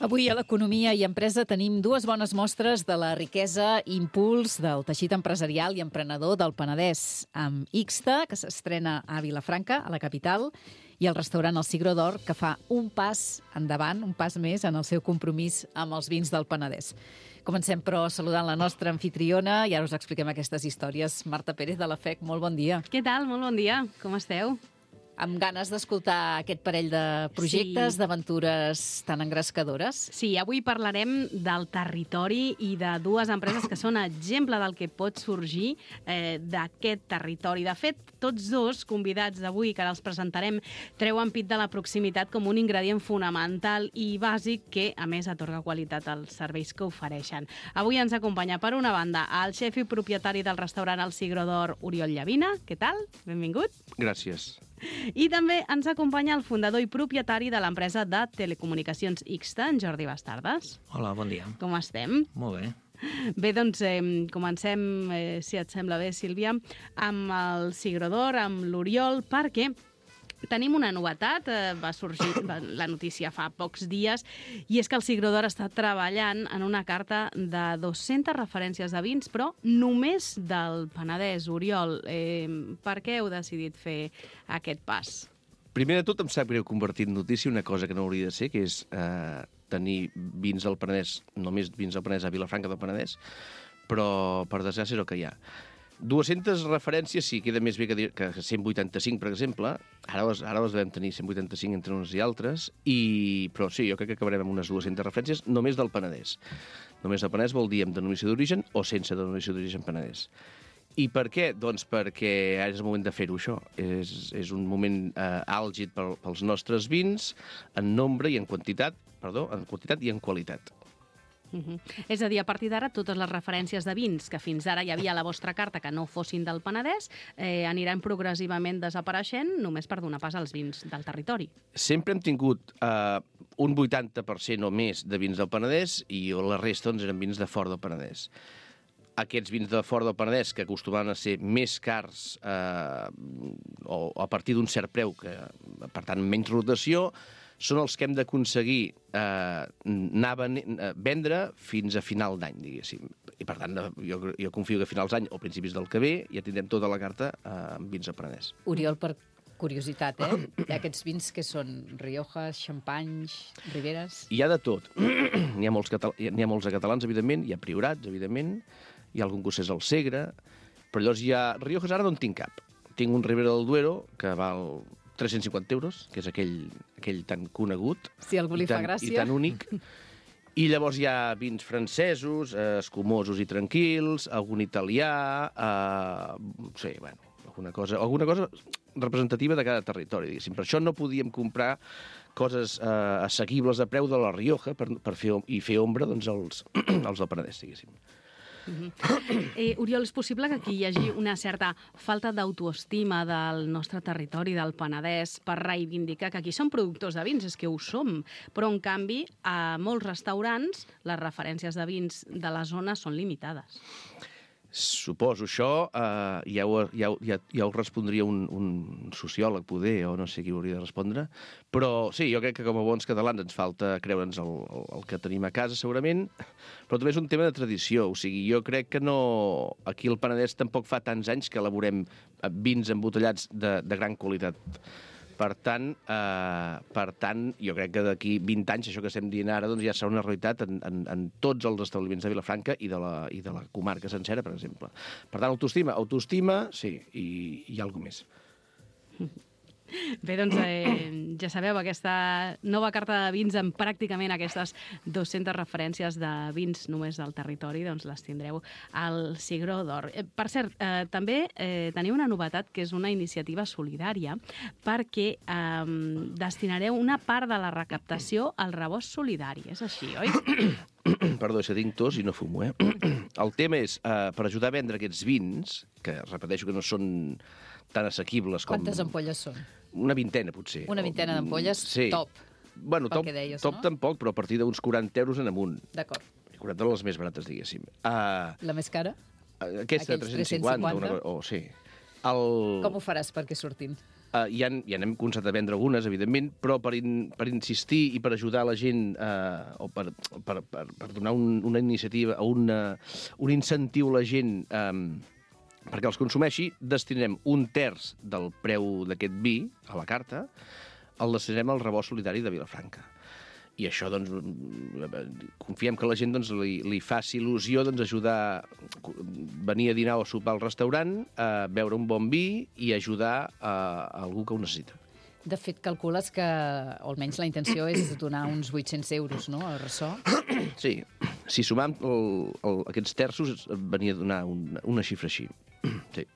Avui a l'Economia i Empresa tenim dues bones mostres de la riquesa i impuls del teixit empresarial i emprenedor del Penedès, amb Ixta, que s'estrena a Vilafranca, a la capital, i el restaurant El Cigró d'Or, que fa un pas endavant, un pas més en el seu compromís amb els vins del Penedès. Comencem, però, saludant la nostra anfitriona i ara us expliquem aquestes històries. Marta Pérez, de la FEC, molt bon dia. Què tal? Molt bon dia. Com esteu? Amb ganes d'escoltar aquest parell de projectes, d'aventures tan engrescadores. Sí, avui parlarem del territori i de dues empreses que són exemple del que pot sorgir d'aquest territori. De fet, tots dos convidats d'avui, que ara els presentarem, treuen pit de la proximitat com un ingredient fonamental i bàsic que, a més, atorga qualitat als serveis que ofereixen. Avui ens acompanya, per una banda, el xef i propietari del restaurant El Cigró d'Or, Oriol Llavina. Què tal? Benvingut. Gràcies. I també ens acompanya el fundador i propietari de l'empresa de telecomunicacions Ixta, en Jordi Bastardes. Hola, bon dia. Com estem? Molt bé. Bé, doncs comencem, si et sembla bé, Sílvia, amb el Cigró d'Or, amb l'Oriol, perquè tenim una novetat, va sorgir la notícia fa pocs dies, i és que el Cigró d'Or està treballant en una carta de 200 referències de vins, però només del Penedès. Oriol, per què heu decidit fer aquest pas? Primer de tot, em sap greu convertir en notícia una cosa que no hauria de ser, que és tenir vins del Penedès, només vins del Penedès a Vilafranca del Penedès, però per desgràcia és el que hi ha. 200 referències, sí, queda més bé que 185, per exemple. Ara les devem tenir 185 entre uns i altres, però sí, jo crec que acabarem amb unes 200 referències només del Penedès. Només del Penedès vol dir amb denominació d'origen o sense denominació d'origen Penedès. I per què? Doncs perquè ara és el moment de fer-ho, això. És un moment àlgid pels nostres vins, en nombre i en quantitat i en qualitat. És a dir, a partir d'ara, totes les referències de vins que fins ara hi havia a la vostra carta que no fossin del Penedès aniran progressivament desapareixent només per donar pas als vins del territori. Sempre hem tingut un 80% o més de vins del Penedès i la resta eren vins de fora del Penedès. Aquests vins de fora del Penedès, que acostumaven a ser més cars o a partir d'un cert preu, que per tant menys rotació, són els que hem d'aconseguir vendre fins a final d'any, diguéssim. I, per tant, jo confio que a finals d'any o principis del que ve ja tindrem tota la carta amb vins al Penedès. Oriol, per curiositat, hi ha aquests vins que són Riojas, Xampanys, Riberes... Hi ha de tot. N'hi ha molts a catalans, evidentment, hi ha Priorats, evidentment, hi ha algun que és el Segre, però llavors hi ha Riojas, ara no en tinc cap. Tinc un Ribera del Duero que val 350 euros, que és aquell tan conegut, si algú li fa gràcia, i tan únic. I llavors hi ha vins francesos, escumosos i tranquils, algun italià, sí, bueno, alguna cosa representativa de cada territori, diguéssim. Per això no podíem comprar coses assequibles a preu de la Rioja per fer ombra doncs, als del Penedès, diguéssim. Oriol, és possible que aquí hi hagi una certa falta d'autoestima del nostre territori, del Penedès, per reivindicar que aquí som productors de vins, és que ho som, però en canvi a molts restaurants les referències de vins de la zona són limitades. Suposo això, ja ho respondria un sociòleg, poder, o no sé qui ho hauria de respondre, però sí, jo crec que com a bons catalans ens falta creure'ns el que tenim a casa, segurament, però també és un tema de tradició, o sigui, jo crec que no... Aquí al Penedès tampoc fa tants anys que elaborem vins embotellats de gran qualitat. Per tant, jo crec que d'aquí 20 anys, això que estem dient ara, doncs ja serà una realitat en tots els establiments de Vilafranca i de la comarca sencera, per exemple. Per tant, autoestima, sí, i alguna més. Bé, doncs ja sabeu, aquesta nova carta de vins amb pràcticament aquestes 200 referències de vins només del territori, doncs les tindreu al Cigró d'Or. Per cert, també teniu una novetat que és una iniciativa solidària perquè destinareu una part de la recaptació al rebost solidari. És així, oi? Perdó, és que tinc tos i no fumo, El tema és, per ajudar a vendre aquests vins, que repeteixo que no són tan assequibles com... Quantes ampolles són? Una vintena, potser. Una vintena d'ampolles, sí. Top. Bueno, top no? Tampoc, però a partir d'uns 40 euros en amunt. D'acord. 40 de les més barates, diguéssim. La més cara? Aquesta, 350. Sí. Com ho faràs perquè surtin? Ja n'hem començat a vendre algunes, evidentment, però per insistir i per ajudar la gent o per donar una iniciativa o un incentiu a la gent perquè els consumeixi, destinarem 1/3 del preu d'aquest vi a la carta, el destinarem al rebost solidari de Vilafranca. I això, doncs, confiem que la gent li faci il·lusió ajudar, venir a dinar o sopar al restaurant, beure un bon vi i ajudar a algú que ho necessita. De fet, calcules que, o almenys la intenció és donar uns 800 euros, no?, al ressò. Sí, si sumam aquests terços, venia a donar una xifra així. Sí.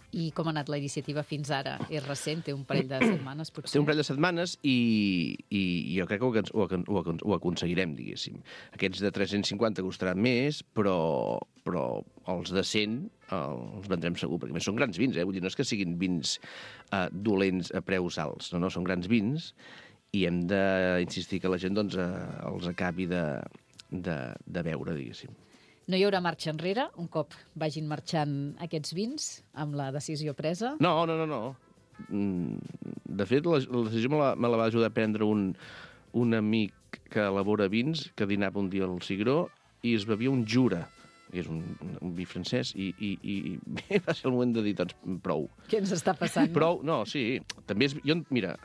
I com ha anat la iniciativa fins ara? És recent, té un parell de setmanes, potser? Té un parell de setmanes i jo crec que ho aconseguirem, diguéssim. Aquests de 350 costaran més, però els de 100 els vendrem segur, perquè més són grans vins, vull dir, no és que siguin vins dolents a preus alts, no, són grans vins i hem d'insistir que la gent els acabi de veure, diguéssim. No hi haurà marxa enrere, un cop vagin marxant aquests vins, amb la decisió presa? No. De fet, la decisió me la va ajudar a prendre un amic que elabora vins, que dinava un dia al Cigró, i es bevia un Jura, que és un vi francès, i va ser el moment de dir, doncs, prou. Què ens està passant? Prou, no, sí. També mira,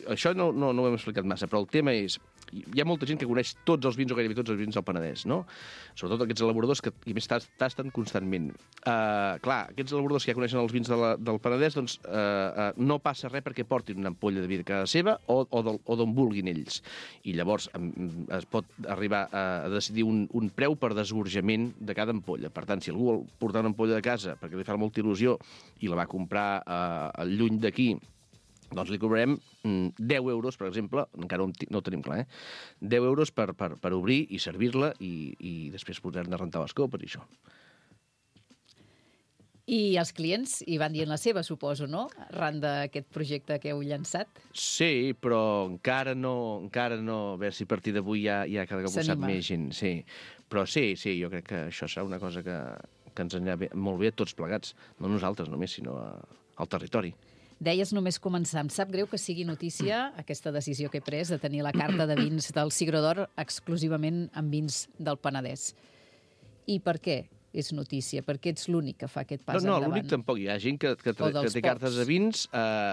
això no ho hem explicat massa, però el tema és... Hi ha molta gent que coneix tots els vins o gairebé tots els vins del Penedès, no? Sobretot aquests elaboradors que a més tasten constantment. Clar, aquests elaboradors que ja coneixen els vins del Penedès, doncs no passa res perquè portin una ampolla de vi de casa seva o d'on vulguin ells. I llavors es pot arribar a decidir un preu per desgorjament de cada ampolla. Per tant, si algú vol portar una ampolla de casa perquè li fa molta il·lusió i la va comprar lluny d'aquí, doncs li cobrarem 10 euros, per exemple, encara no ho tenim clar, 10 euros per obrir i servir-la i després posar-ne a rentar les copes i això. I els clients hi van dient la seva, suposo, no?, arran d'aquest projecte que heu llançat? Sí, però encara no, a veure si a partir d'avui ja cada cop ho sap més gent. Sí. Però sí, jo crec que això serà una cosa que ens anirà molt bé a tots plegats, no nosaltres només, sinó al territori. Deies només començar. Em sap greu que sigui notícia aquesta decisió que he pres de tenir la carta de vins del Cigró d'Or exclusivament amb vins del Penedès. I per què és notícia? Per què ets l'únic que fa aquest pas endavant? No, l'únic tampoc. Hi ha gent que té cartes de vins...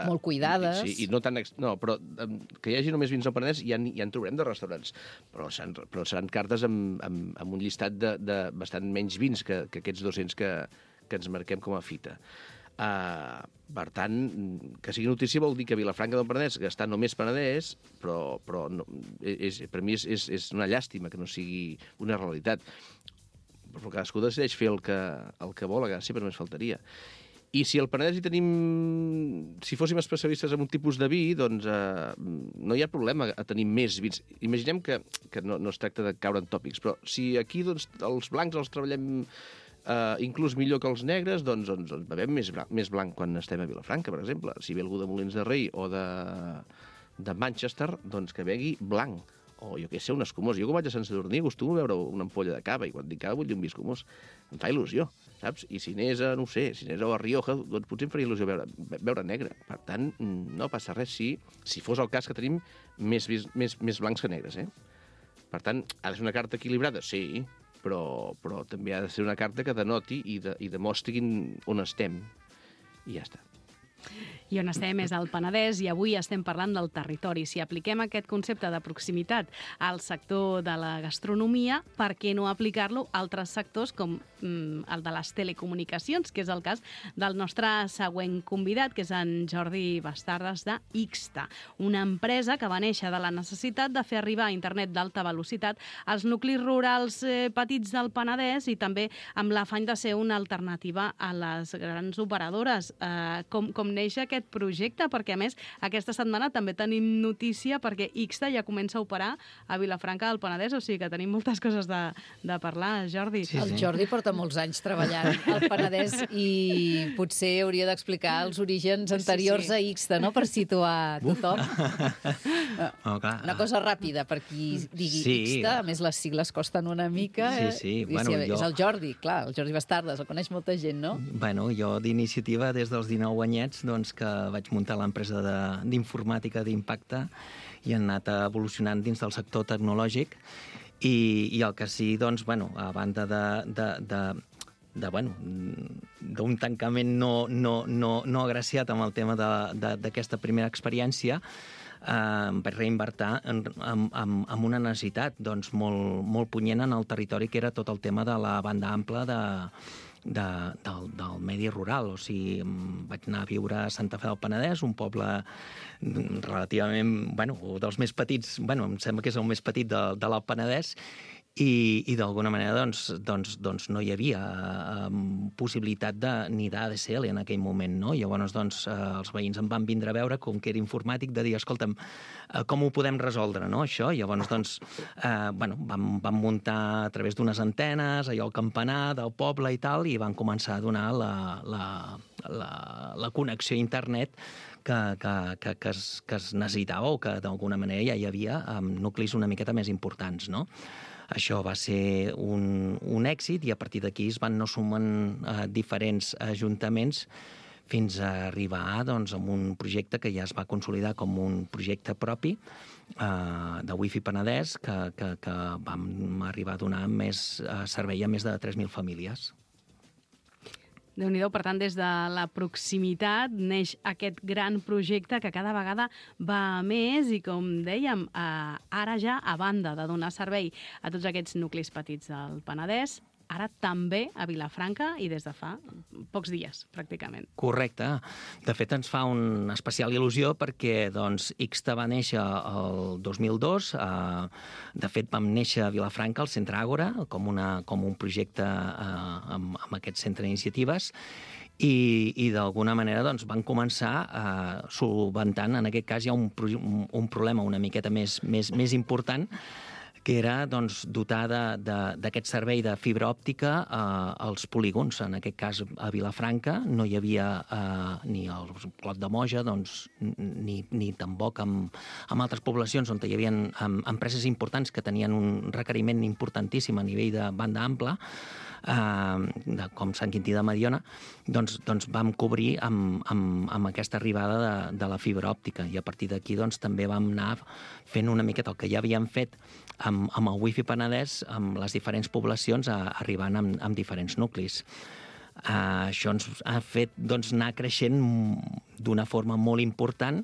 molt cuidades. Sí, i no tan... No, però que hi hagi només vins del Penedès ja en trobarem de restaurants. Però seran cartes amb un llistat de bastant menys vins que aquests 200 que ens marquem com a fita. Per tant, que sigui notícia vol dir que Vilafranca del Penedès, que està només Penedès, però no, per mi és una llàstima que no sigui una realitat. Però cadascú decideix fer el que vol, a sempre només faltaria. I si al Penedès hi tenim... Si fóssim especialistes en un tipus de vi, doncs no hi ha problema a tenir més vins. Imaginem que no es tracta de caure en tòpics, però si aquí doncs, els blancs els treballem inclús millor que els negres, doncs bevem més blanc quan estem a Vilafranca, per exemple. Si ve algú de Molins de Rei o de Manchester, doncs que begui blanc. O jo què sé, un escumós. Jo, com vaig a Sant Sadurní, acostumo a beure una ampolla de cava, i quan dic cava vull dir un vi escumós. Em fa il·lusió, saps? I si anés a, no sé, a Rioja, doncs potser em faria il·lusió beure negre. Per tant, no passa res si fos el cas que tenim més blancs que negres, Per tant, ha de ser una carta equilibrada? Sí, però també ha de ser una carta que denoti i demostri on estem. I ja està. I on estem és al Penedès i avui estem parlant del territori. Si apliquem aquest concepte de proximitat al sector de la gastronomia, per què no aplicar-lo a altres sectors com el de les telecomunicacions, que és el cas del nostre següent convidat, que és en Jordi Bastardes de Ixta, una empresa que va néixer de la necessitat de fer arribar internet d'alta velocitat als nuclis rurals petits del Penedès i també amb l'afany de ser una alternativa a les grans operadores. Com neix aquest aquest projecte, perquè a més aquesta setmana també tenim notícia perquè Ixta ja comença a operar a Vilafranca del Penedès, o sigui que tenim moltes coses de parlar, Jordi. Sí, el Jordi porta molts anys treballant al Penedès i potser hauria d'explicar els orígens anteriors a Ixta, no?, per situar tothom. Una cosa ràpida per qui digui Ixta, a més les sigles costen una mica. És el Jordi, clar, el Jordi Bastardes, el coneix molta gent, no? Bueno, jo d'iniciativa des dels 19 anyets, doncs, que vaig muntar l'empresa d'informàtica d'impacte i han anat evolucionant dins del sector tecnològic i el que sí, doncs, bueno, a banda d'un tancament no agraciat amb el tema d'aquesta primera experiència, em vaig reinvertir en una necessitat doncs, molt punyent en el territori, que era tot el tema de la banda ampla del medi rural. O sigui, vaig anar a viure a Santa Fe del Penedès, un poble relativament, dels més petits, em sembla que és el més petit de l'Alt Penedès, i d'alguna manera doncs no hi havia possibilitat ni d'ADSL en aquell moment, no? Llavors els veïns em van vindre a veure, com que era informàtic, de dir, escolta'm, com ho podem resoldre, no, això? Llavors vam muntar a través d'unes antenes allò al campanar del poble i tal, i van començar a donar la connexió a internet que es necessitava, o que d'alguna manera ja hi havia nuclis una miqueta més importants, no? Això va ser un èxit i a partir d'aquí es van anar sumant diferents ajuntaments fins a arribar doncs, a un projecte que ja es va consolidar com un projecte propi de Wi-Fi Penedès que vam arribar a donar més servei a més de 3.000 famílies. Déu-n'hi-do, per tant, des de la proximitat neix aquest gran projecte que cada vegada va a més i, com dèiem, ara ja, a banda de donar servei a tots aquests nuclis petits del Penedès, ara també a Vilafranca i des de fa pocs dies, pràcticament. Correcte. De fet, ens fa una especial il·lusió perquè Ixta va néixer el 2002. De fet, vam néixer a Vilafranca, al Centre Àgora, com un projecte amb aquest centre d'iniciatives, i d'alguna manera van començar solventant, en aquest cas hi ha un problema una miqueta més important, que era dotar d'aquest servei de fibra òptica als polígons. En aquest cas, a Vilafranca no hi havia ni el Clot de Moja, ni tampoc amb altres poblacions on hi havia empreses importants que tenien un requeriment importantíssim a nivell de banda ampla, com Sant Quintí de Mediona, doncs vam cobrir amb aquesta arribada de la fibra òptica, i a partir d'aquí també vam anar fent una miqueta el que ja havíem fet amb el Wi-Fi Penedès, amb les diferents poblacions, arribant amb diferents nuclis. Això ens ha fet anar creixent d'una forma molt important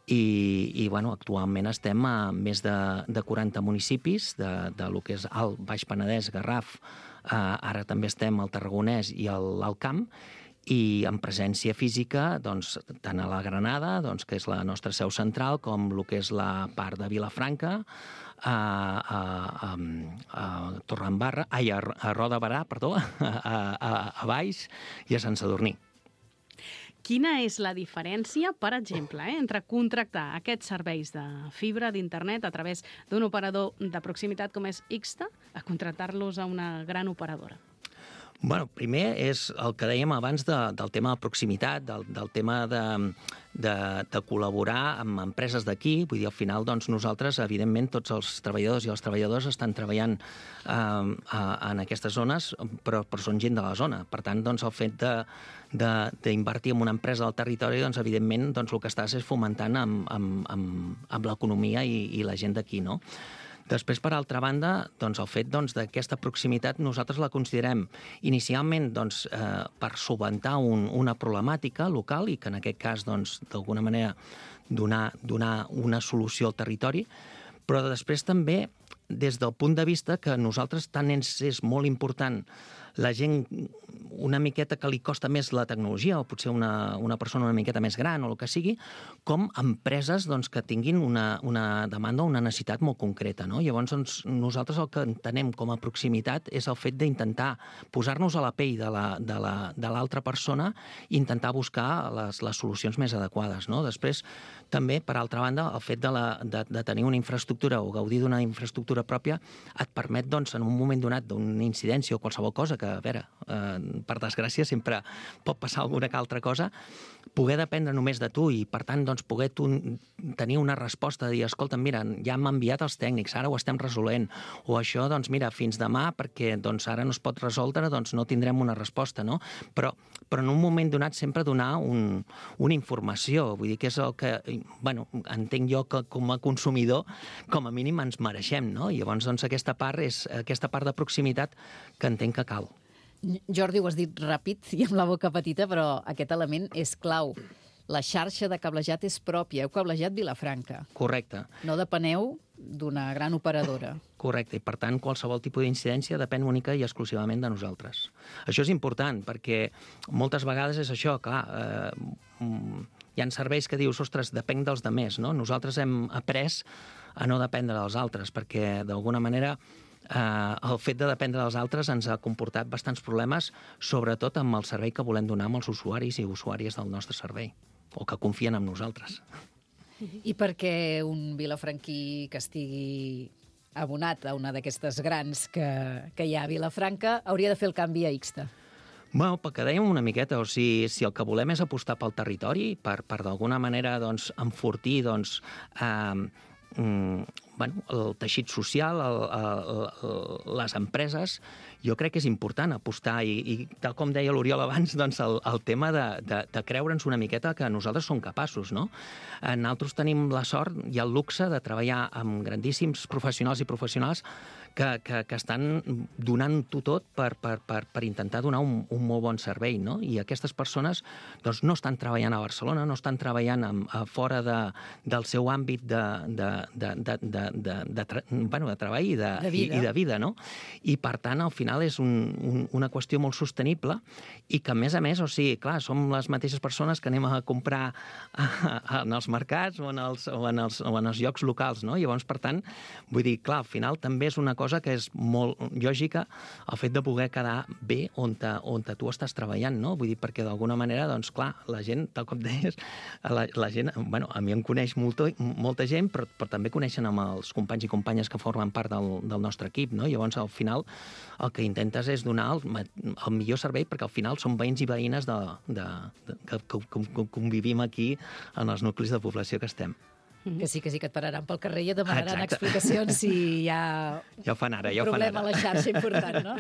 i actualment estem a més de 40 municipis de lo que és Alt, Baix Penedès, Garraf. Ara també estem al Tarragonès i a l'Alt Camp, i en presència física tant a la Granada, que és la nostra seu central, com el que és la part de Vilafranca, a Torredembarra, a Roda de Berà, perdó, a Valls i a Sant Sadurní. Quina és la diferència, per exemple, entre contractar aquests serveis de fibra d'internet a través d'un operador de proximitat com és Ixta a contractar-los a una gran operadora? Bueno, primer és el que dèiem abans del tema de proximitat, del tema de col·laborar amb empreses d'aquí. Vull dir, al final, nosaltres, evidentment, tots els treballadors i les treballadores estan treballant en aquestes zones, però són gent de la zona. Per tant, el fet d'invertir en una empresa del territori, evidentment, el que estàs és fomentant amb l'economia i la gent d'aquí, no? Després, per altra banda, el fet d'aquesta proximitat nosaltres la considerem inicialment per solventar una problemàtica local i que en aquest cas, d'alguna manera, donar una solució al territori, però després també des del punt de vista que nosaltres tant és molt important la gent una miqueta que li costa més la tecnologia, o potser una persona una miqueta més gran, o el que sigui, com empreses doncs, que tinguin una demanda o una necessitat molt concreta. No? Llavors, doncs, nosaltres el que entenem com a proximitat és el fet d'intentar posar-nos a la pell de l'altra persona i intentar buscar les solucions més adequades. No? Després, també, per altra banda, el fet de tenir una infraestructura o gaudir d'una infraestructura pròpia et permet, doncs, en un moment donat d'una incidència o qualsevol cosa, que, a veure, per desgràcia sempre pot passar alguna altra cosa, poder dependre només de tu i, per tant, doncs, poder tenir una resposta de dir, escolta, mira, ja m'han enviat els tècnics, ara ho estem resolent, o això, doncs, mira, fins demà, perquè doncs, ara no es pot resoldre, doncs no tindrem una resposta, no? Però en un moment donat sempre donar una informació, vull dir que és el que, bueno, entenc jo que com a consumidor, com a mínim ens mereixem, no? I llavors, doncs, aquesta part és aquesta part de proximitat que entenc que cal. Jordi, ho has dit ràpid i amb la boca petita, però aquest element és clau. La xarxa de cablejat és pròpia. Heu cablejat Vilafranca. Correcte. No depeneu d'una gran operadora. Correcte, i per tant qualsevol tipus d'incidència depèn única i exclusivament de nosaltres. Això és important perquè moltes vegades és això, clar, hi ha serveis que dius, ostres, depenc dels demés, no? Nosaltres hem après a no dependre dels altres perquè d'alguna manera el fet de dependre dels altres ens ha comportat bastants problemes, sobretot amb el servei que volem donar amb els usuaris i usuàries del nostre servei, o que confien en nosaltres. I per què un vilafranquí que estigui abonat a una d'aquestes grans que hi ha a Vilafranca hauria de fer el canvi a Ixta? Bueno, perquè dèiem una miqueta, o sigui, si el que volem és apostar pel territori, per d'alguna manera doncs, enfortir doncs, el teixit social, les empreses, jo crec que és important apostar i tal com deia l'Oriol abans, doncs el tema de creure'ns una miqueta que nosaltres som capaços, no? Nosaltres tenim la sort i el luxe de treballar amb grandíssims professionals i professionals que estan donant-ho tot per intentar donar un molt bon servei, no? I aquestes persones doncs, no estan treballant a Barcelona, no estan treballant fora del seu àmbit de treball i de vida, no? I, per tant, al final és una qüestió molt sostenible i que, a més, o sigui, clar, som les mateixes persones que anem a comprar en els mercats o en els llocs locals, no? Llavors, per tant, vull dir, clar, al final també és una cosa que és molt lògica el fet de poder quedar bé on tu estàs treballant, no? Vull dir, perquè d'alguna manera, doncs, clar, la gent, tal com deies, la gent, bueno, a mi em coneix molta gent, però també coneixen amb els companys i companyes que formen part del nostre equip, no? Llavors, al final, el que intentes és donar el millor servei, perquè al final són veïns i veïnes que convivim aquí en els nuclis de població que estem. Que sí, que et pararan pel carrer i et demanaran explicacions si hi ha un problema a la xarxa important, no?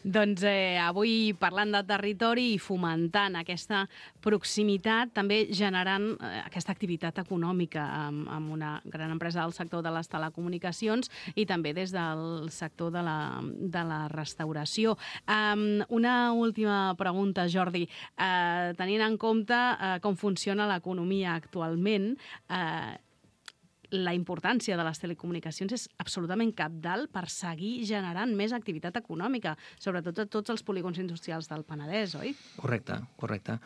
Doncs avui parlant de territori i fomentant aquesta proximitat, també generant aquesta activitat econòmica amb una gran empresa del sector de les telecomunicacions i també des del sector de la restauració. Una última pregunta, Jordi. Tenint en compte com funciona l'economia actualment, la importància de les telecomunicacions és absolutament cabdal per seguir generant més activitat econòmica, sobretot a tots els polígons industrials del Penedès, oi? Correcte.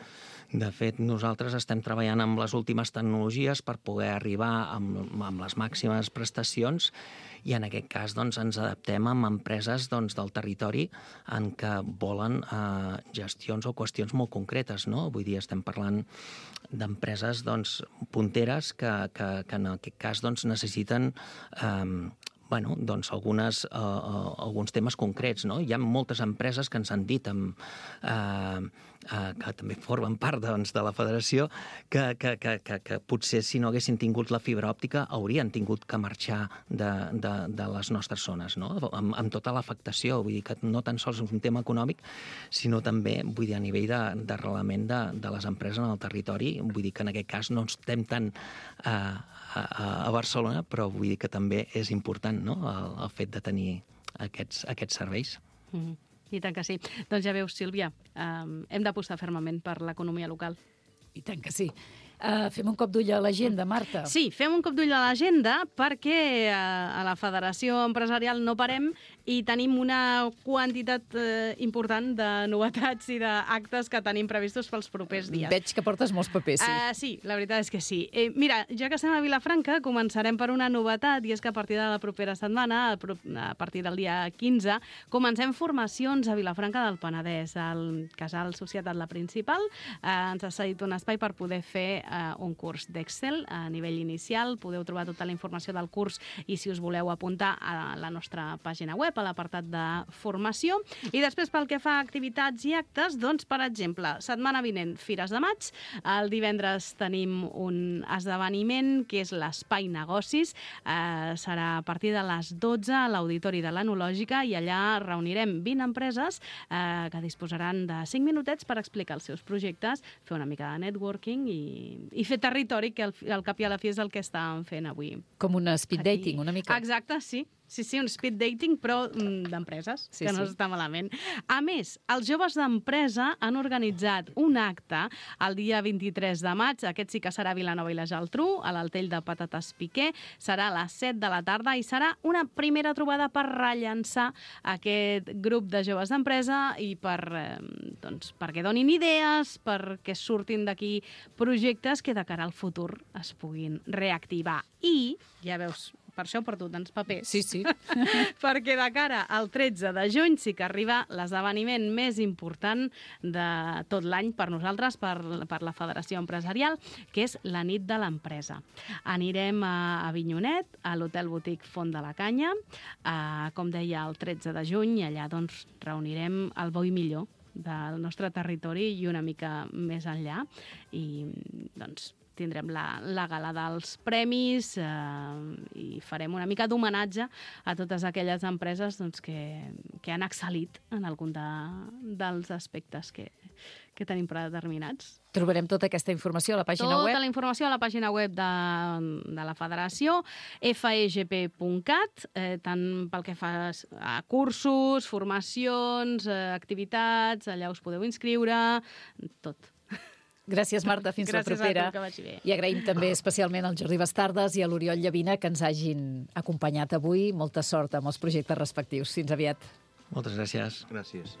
De fet, nosaltres estem treballant amb les últimes tecnologies per poder arribar amb les màximes prestacions i en aquest cas doncs, ens adaptem amb empreses doncs, del territori en què volen gestions o qüestions molt concretes, no? Vull dir, estem parlant d'empreses doncs, punteres que en aquest cas doncs, necessiten doncs, alguns temes concrets. No? Hi ha moltes empreses que ens han dit que també formen part doncs, de la federació que potser si no haguessin tingut la fibra òptica haurien tingut que marxar de les nostres zones, no? Amb tota l'afectació. Vull dir que no tan sols és un tema econòmic, sinó també vull dir, a nivell d'arrelament de les empreses en el territori. Vull dir que en aquest cas no estem tant a Barcelona, però vull dir que també és important, no? El fet de tenir aquests serveis. I tant que sí. Doncs ja veus, Sílvia, hem d'apostar fermament per l'economia local. I tant que sí. Fem un cop d'ull a l'agenda, Marta. Sí, fem un cop d'ull a l'agenda perquè a la Federació Empresarial no parem i tenim una quantitat important de novetats i d'actes que tenim previstos pels propers dies. Veig que portes molts papers, sí. Sí, la veritat és que sí. Mira, ja que estem a Vilafranca, començarem per una novetat, i és que a partir de la propera setmana, a partir del dia 15, comencem formacions a Vilafranca del Penedès. El Casal Societat La Principal ens ha cedit un espai per poder fer un curs d'Excel a nivell inicial. Podeu trobar tota la informació del curs i, si us voleu apuntar, a la nostra pàgina web, a l'apartat de formació. I després, pel que fa a activitats i actes, doncs, per exemple, setmana vinent, Fires de Maig. El divendres tenim un esdeveniment que és l'Espai Negocis. Serà a partir de les 12 a l'Auditori de l'Enològica, i allà reunirem 20 empreses que disposaran de 5 minutets per explicar els seus projectes, fer una mica de networking i fer territori, que al cap i a la fi és el que estàvem fent avui. Com un speed dating, una mica. Exacte, sí. Sí, un speed dating, però d'empreses, que no està malament. A més, els joves d'empresa han organitzat un acte el dia 23 de maig, aquest sí que serà a Vilanova i la Geltrú, a l'Altell de Patates Piquer, serà a les 7 de la tarda i serà una primera trobada per rellançar aquest grup de joves d'empresa i perquè donin idees, perquè surtin d'aquí projectes que de cara al futur es puguin reactivar. I, ja veus, per això porto tants papers. Sí. Perquè de cara al 13 de juny sí que arriba l'esdeveniment més important de tot l'any per nosaltres, per la Federació Empresarial, que és la nit de l'empresa. Anirem a Avinyonet, a l'Hotel Boutique Font de la Canya, com deia, el 13 de juny, i allà doncs reunirem el bo i millor del nostre territori i una mica més enllà, i doncs tindrem la gala dels premis i farem una mica d'homenatge a totes aquelles empreses que han excel·lit en algun dels aspectes que tenim predeterminats. Trobarem tota aquesta informació a la pàgina web? Tota la informació a la pàgina web de la Federació, fegp.cat, tant pel que fa a cursos, formacions, activitats, allà us podeu inscriure, tot. Gràcies, Marta. Fins la propera. Gràcies a tu, que vagi bé. I agraïm també especialment al Jordi Bastardes i a l'Oriol Llavina que ens hagin acompanyat avui. Molta sort amb els projectes respectius. Fins aviat. Moltes gràcies. Gràcies.